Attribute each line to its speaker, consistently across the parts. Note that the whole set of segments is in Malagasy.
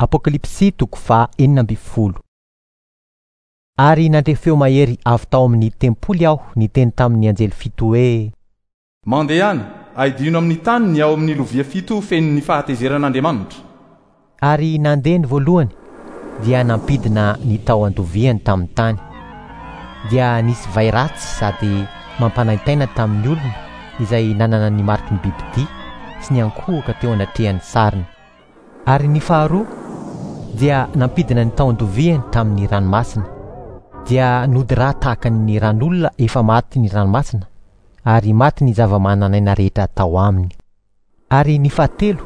Speaker 1: Apokalypsy toko faha 16. Ary nandre feo mahery avy tao amin'ny tempoly aho niteny tamin'ny anjely fito hoe.
Speaker 2: Mandehana, aidino amin'ny tany ny ao amin'ny lovia fito feno ny fahatezeran'Andriamanitra.
Speaker 1: Ary nandeha ny voalohany, dia nampidina ny tao an-doviany tamin'ny tany. Dia nisy vay ratsy sady mampanaintaina tamin'ny olona izay nanana ny mariky ny bibidia sy niankohoka teo anatrehan'ny sariny. Ary ny faharoa dia nampidina ny tahon-doviany tamin'ny ranomasina. Dia nody rà tahaka ny ran'olona efa maty ny ranomasina, ary maty ny zava-manan'aina rehetra tao aminy. Ary ny fahatelo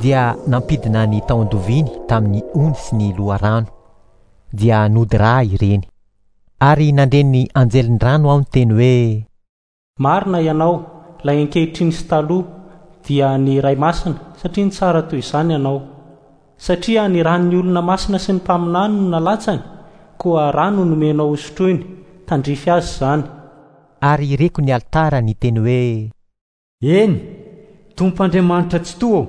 Speaker 1: dia nampidina ny tahon-doviany tamin'ny ony sy ny loharano. Dia nody rà ireny. Ary nandre ny anjelin'ny rano aho niteny hoe.
Speaker 3: Marina ianao, ilay ankehitriny sy taloha, dia ny Ray Masina, satria nitsara toy izany ianao. Satria ny ran'ny olona masina sy ny mpaminany no nalatsany, koa ra no nomenao hosotroiny, tandrify azy izany.
Speaker 1: Ary reko ny alitara niteny hoe.
Speaker 4: Eny, Tompo Andriamanitra Tsitoha ô,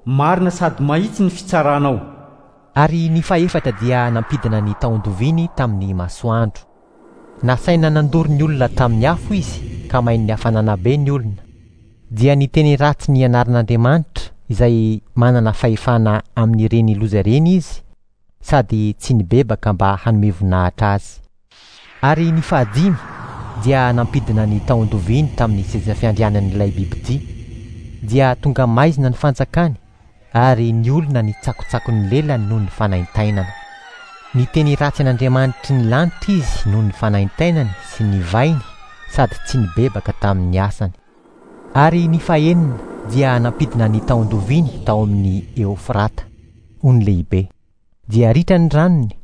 Speaker 4: marina sady mahitsy ny fitsaranao.
Speaker 1: Ary ny fahefatra dia nampidina ny tahon-doviany tamin'ny masoandro. Nasaina nandoro ny olona tamin'ny afo izy ka main'ny hafanana be ny olona. Dia niteny ratsy ny anaran'Andriamanitra izay manana fahefana amin'ireny loza ireny izy sady tsy nibebaka mba hanome voninahitra azy. Ary ny fahadimy dia nampidina ny tahon-doviany tamin'ny seza fiandrianan'ilay bibidia. Dia tonga maizina ny fanjakany ary ny olona nitsakotsako ny lelany noho ny fanaintainana. Niteny ratsy an'Andriamanitry ny lanitra izy noho ny fanaintainany sy ny vainy sady tsy nibebaka tamin'ny asany. Ary ny fahenina dia nampidina ny tahon-doviany tao amin'ny Eofrata, ony lehibe. Dia ritra ny ranony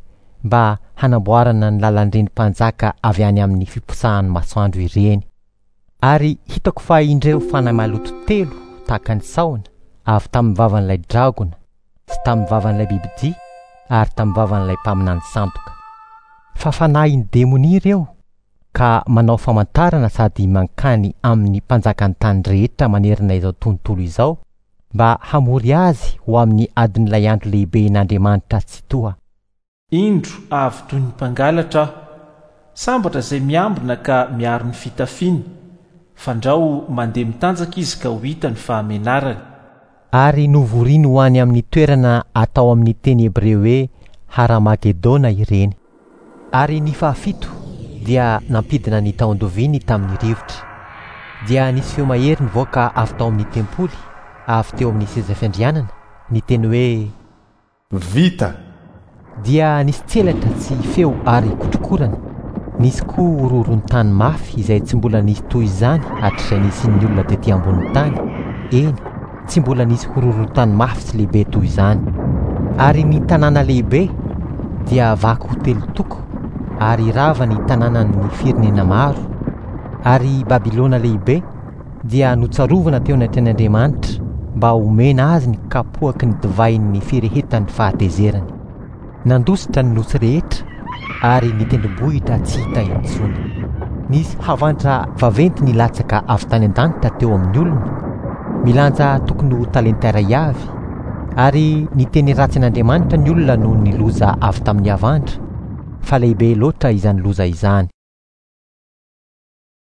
Speaker 1: mba hanamboarana ny lalan'ireny mpanjaka avy any amin'ny fiposahan'ny masoandro ireny. Ary hitako fa indreo fanahy maloto telo tahaka ny sahona avy tamin'ny vavan'ilay dragona sy tamin'ny vavan'ilay bibidia ary tamin'ny vavan'ilay mpaminany sandoka. Fa fanahin'ny demonia ireo ka manao famantarana sady mankany amin'ny mpanjakan'ny tany rehetra manerana izao tontolo izao mba hamory azy ho amin'ny adin'ilay andro lehiben'Andriamanitra Tsitoha.
Speaker 5: Indro avy toy ny mpangalatra aho. Sambatra izay miambina ka miaro ny fitafiany, fandrao mandeha mitanjaka izy ka ho hita ny fahamenarany.
Speaker 1: Ary novoriny ho any amin'ny toerana atao amin'ny teny hebreo hoe Haramagedona ireny. Ary ny fahafito dia nampidina ny tahon-doviany tamin'ny rivotra. Dia nisy feo mahery nivoaka avy tao amin'ny tempoly, avy teo amin'ny seza fiandrianana, niteny hoe.
Speaker 2: Vita!
Speaker 1: Dia nisy tselatra sy feo ary kotrokorana. Nisy koa horohoron-tany mafy izay tsy mbola nisy toy izany hatrizay nisian'ny olona tetỳ ambonin'ny tany, eny, tsy mbola nisy horohoron-tany mafy sy lehibe toy izany. Ary ny tanàna lehibe dia vaky ho telo toko, ary rava ny tanànan'ny firenena maro. Ary i Babylona Lehibe dia notsarovana teo anatrehan'Andriamanitra mba homena azy ny kapoaky ny divain'ny firehetan'ny fahatezerany. Nandositra ny nosy rehetra ary ny tendrombohitra tsy hita intsony. Nisy havandra vaventy nilatsaka avy tany an-danitra teo amin'ny olona, milanja tokony ho talenta iray avy, ary niteny ratsy an'Andriamanitra ny olona noho ny loza avy tamin'ny havandra, fa lehibe loatra izany loza izany.